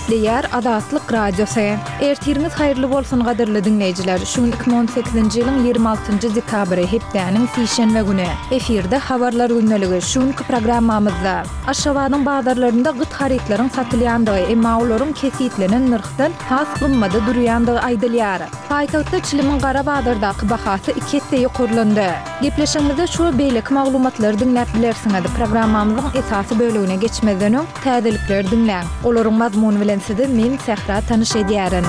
Gepleýär Azatlyk Radiosy. Ertiriňiz haýyrly bolsun gadyrly diňleýjiler. Şu gün 2018-nji ýylyň 26-njy dekabry, hepdäniň sişenbe güni. Efirde Habarlar gündeligi. Şu günki programmamyzda Aşgabadyň bazarlarynda gyt harytlaryň satylýandygy, emma olaryň kesgitlenen nyrhdan has gymmada durýandygy aýdylýar. Paýtagtda çilimiň gara bazardaky bahasy iki esse ýokarlandy. Gepleşigimizde şu we beýleki maglumatlary diňläp bilersiňiz. Programmamyzyň esasy bölegine geçmezden öň, täzelikleri diňläň. Olaryň mazmuny bilen sizi men, Sähra tanyş edýärin.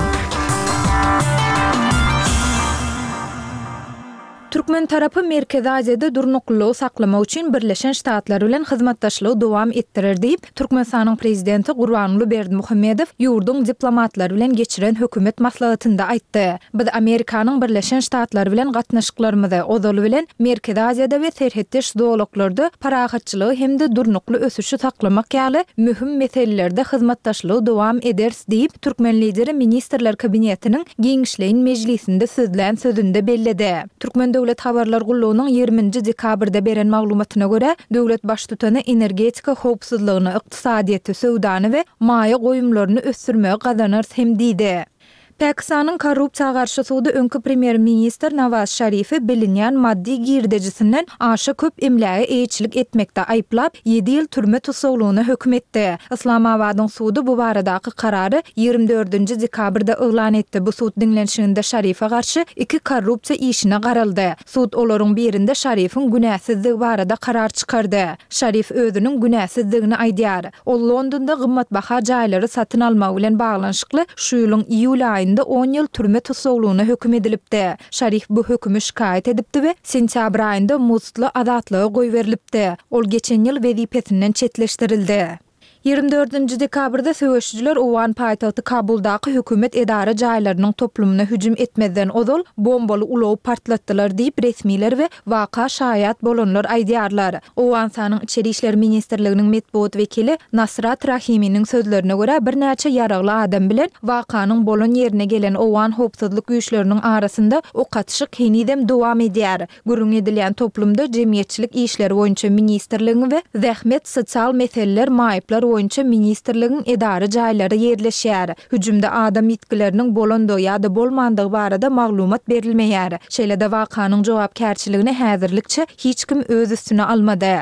Türkmen tarapy Merkezi Aziýada durnuklylygy saklamak üçin Birleşen Ştatlar bilen hyzmatdaşlygy dowam etdirer diýip, Türkmenistanyň Prezidenti Gurbanguly Berdimuhamedow ýurduň diplomatlary bilen geçiren hökümet maslahatynda aýtdy. Biz Amerikanyň Birleşen Ştatlary bilen gatnaşyklarymyzy, ozaly bilen, Merkezi Aziýada we serhetdeş zolaklarda parahatçylygy hem-de durnukly ösüşi saklamak ýaly möhüm meselelerde hyzmatdaşlygy dowam ederis diýip, türkmen Lideri Ministrler Kabinetiniň giňişleýin mejlisinde sözlän sözünde belledi. Türkmen döwlet habarlar gullugynyň 20 nji dekabrda beren maglumatyna görä, döwlet Baştutany energetika howpsuzlygyny, ykdysadyýeti, söwdany we maýa goýumlaryny ösdürmegi gazanarys hem diýdi. Pakistanyň korrupsiýa garşy sudy öňki premýer-ministr Nawaz Şarifi bilinýän maddy girdejisinden aşa köp emläge eýeçilik etmekde aýyplap, ýedi ýyl türme tussaglygyna höküm etdi. Yslamabadyň sudy bu baradaky karary 24 nji dekabrda yglan etdi. Bu sud diňlenişiginde Şarife garşy iki korrupsiýa işine garaldy. Sud olaryň birinde Şarifiň günäsizdigi barada karar çykardy. Şarif özüniň günäsizdigini aýdýar. Ol Londonda gymmatbaha jaýlary satyn almagy bilen baglanyşykly şu ýylyň iýul aýynda on ýyl türme tussaglygyna höküm edilipdi. Şarif bu hökümi şikaýat edipdi we sentýabr aýynda muztly azatlyga goýberilipdi. Ol geçen ýyl wezipesinden çetleşdirildi. 24-nji dekabrda söweşijiler owgan paýtagty Kabuldaky hökümet edara jaýlarynyň toplumyna hüjüm etmezden ozal bombaly ulagy partlatdylar diýip, resmiler we waka şaýat bolanlar aýdýarlar. Owganystanyň Içeri işler ministrliginiň metbugat wekili Nasrat Rahiminiň sözlerine görä, birnäçe ýaragly adam bilen wakanyň bolan ýerine gelen owgan howpsuzlyk güýçleriniň arasynda ok atyşyk henizem dowam edýär. Gürrüňi edilýän toplumda Jemgyýetçilik işleri boýunça ministrligiň we Zähmet, sosial meseleler, maýyplar boýunça ministrligiň edara jaýlary ýerleşýär. Hüjümde adam ýitgileriniň bolandygy ýa-da bolmandygy barada maglumat berilmeýär. Şeýle-de wakanyň jogapkärçiligini häzirlikçe hiç kim öz üstüne almady.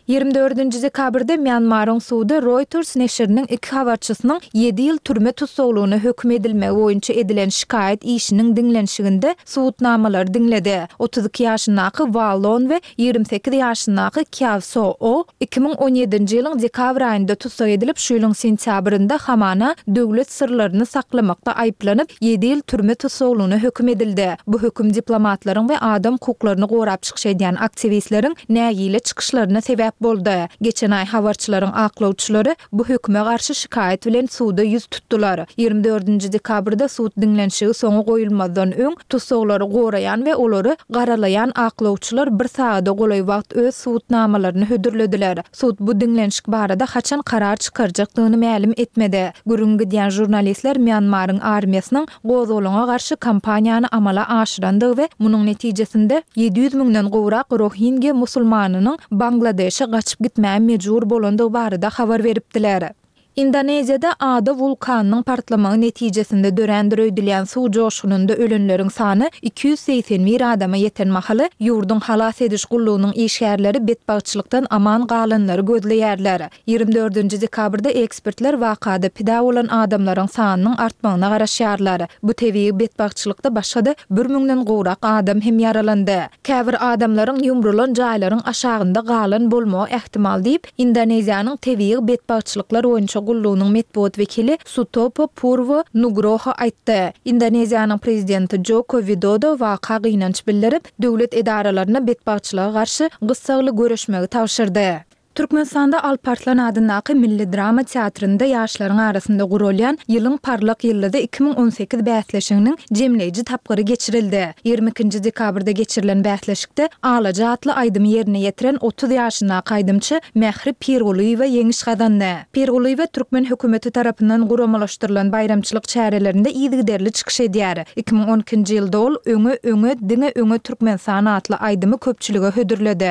24-nji dekabrda Mýanmaryň sudy Reuters neşiriniň iki habarçysynyň ýedi ýyl türme tussaglygyna höküm edilmegi boýunça edilen şikaýat işiniň diňlenişiginde subutnamalary diňledi. 32 ýaşyndaky Wa Lon we 28 ýaşyndaky Kyaw So Oo 2017-nji ýylyň dekabr aýynda tussag edilip, şu ýylyň sentýabrynda hamana döwlet syrlaryny saklamakda aýyplanyp, ýedi ýyl türme tussaglygyna höküm edildi. Bu höküm diplomatlaryň we adam hukuklaryny gorap çykyş edýän aktiwistleriň nägile çykyşlaryna sebäp boldy. Geçen aý habarçylaryň aklawçylary bu höküme garşy şikaýat bilen suda ýüz tutdular. 24-nji dekabrda sud diňlenişigi soňa goýulmazdan öň, tussaglary goraýan we olary garalaýan aklawçylar bir sagada golaý wagt öz subutnamalaryny hödürlediler. Sud bu diňlenişik barada haçan karar çykarjakdygyny mälim etmedi. Gürrüňi gidýän žurnalistler Mýanmaryň armiýasynyň gozgalaňa garşy kampaniýany amala aşyrandygy we munuň netijesinde 700 müňden gowrak rohingýa musulmanynyň Bangladeşe gaçyp gitmäge mejbur bolandygy barada habar beripdiler. Indoneziýada ada wulkanynyň partlamagy netijesinde dörändir öýdülýän suw joşgunynda ölenleriň sany 281 adama ýeten mahaly, ýurduň halas ediş gullugynyň işgärleri betbagtçylykdan aman galanlary gözleýärler. 24-nji dekabrda ekspertler wakada pida bolan adamlaryň sanynyň artmagyna garaşýarlar. Bu tebigy betbagtçylykda başga-da bir müňden gowrak adam hem ýaralandy. Käbir adamlaryň ýumrulan jaýlaryň aşagynda galan bolmagy ähtimal diýip, Indoneziýanyň tebigy betbagtçylyklar boýunça gullugynyň metbugat wekili Sutopo Purwo Nugroho aýtdy. Indoneziýanyň prezidenti Joko Widodo waka gynanç bildirip, döwlet edaralaryna betbagtçylyga garşy gyssagly göreşmegi tabşyrdy. Türkmenistanda Alp Arslan adyndaky milli drama teatrynda ýaşlaryň arasynda guralýan Ýylyň parlak ýyldyzy 2018 bäsleşiginiň jemleýji tapgyry geçirildi. 22-nji dekabrda geçirilen bäsleşikde Alaja atly aýdymy ýerine ýetiren 30 ýaşyndaky aýdymçy Mähri Pirgulyýewa ýeňiş gazandy. Pirgulyýewa türkmen hökümeti tarapyndan guramalaşdyrylan baýramçylyk çärelerinde yzygiderli çykyş edýär. 2012-nji ýylda ol Öňe, öňe, diňe öňe Türkmenistan atly aýdymy köpçülige hödürledi.